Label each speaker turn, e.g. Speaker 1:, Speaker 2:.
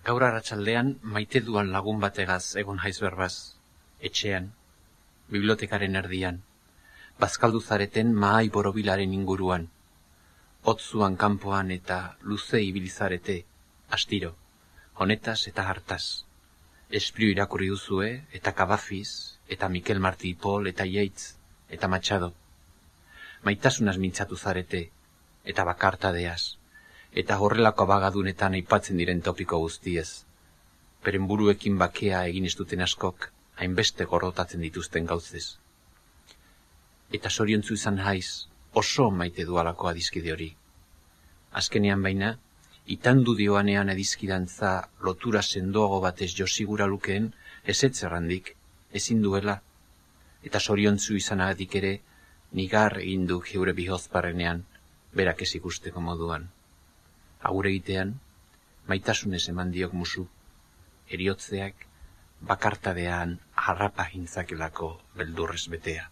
Speaker 1: Gaur arratsaldean maite duan lagun bategaz egon haiz berbaz, etxean, bibliotekaren erdian, bazkaldu zareten mahai borobilaren inguruan, hotzuan kanpoan eta luze ibilizarete, astiro, honetaz eta hartaz. Espriu irakurri duzue, eta Cavafis, eta Mikel Martí i Pol, eta Yeats, eta Machado. Maitasunaz mintzatu zarete, eta bakartadeaz, eta horrelako abagadunetan aipatzen diren topiko guztiez. Beren buruekin bakea egin ez duten askok, hainbeste gorrotatzen dituzten gauzez. Eta zoriontzu izan haiz, oso maite dualako adizkide hori. Azkenean baina, itandu dioanean adizkidantza lotura sendoago batez josigura lukeen, ezetz errandik, ezin duela, eta zoriontzu izanagatik ere, nigar egin du geure bihozparrenean, berak ez ikusteko moduan. Agur egitean, maitasunez eman diok musu, eriotzeak bakartadean harrapa gintzakelako beldurrez betea.